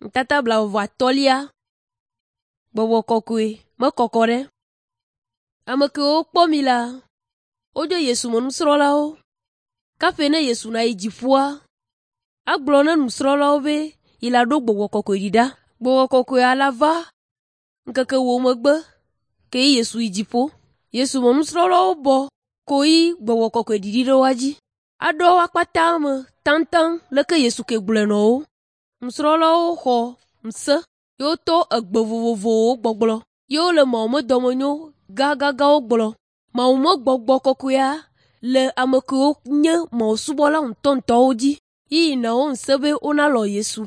Ŋutata blaeve-vɔ-atɔ̃lia. Gbɔgbɔ Kɔkɔe mekɔkɔ ɖe. Ame kewo kpɔ mi la, wodzo Yesu me nusrɔ̃lawo. Kaƒe ne Yesu nayi dziƒoa, agblɔ na nusrɔ̃lawo be yi la ɖo Gbɔgbɔ Kɔkɔe ɖi ɖa. Gbɔgbɔ Kɔkɔea la va ŋkeke wo megbe ke Yesu yi dziƒo. Yesu me nusrɔ̃lawo bɔ ko yi Gbɔgbɔ Kɔkɔe ɖiɖi ɖe woa dzi. Aɖɔ woa kpata me taŋtaŋ leke Yesu ke gblɔe nɔ wo. Nusrɔ̃lawo xɔ ŋusẽ ye woto egbe vovovowo gbɔgblɔ ye wole Mawu me dɔmenyo gãgãgãwo gblɔ. Mawu me gbɔgbɔ kɔkɔea le ame kewo nye mawusubɔla ŋutɔŋutɔwo dzi yi na wo ŋusẽ be wonalɔ̃ Yesu.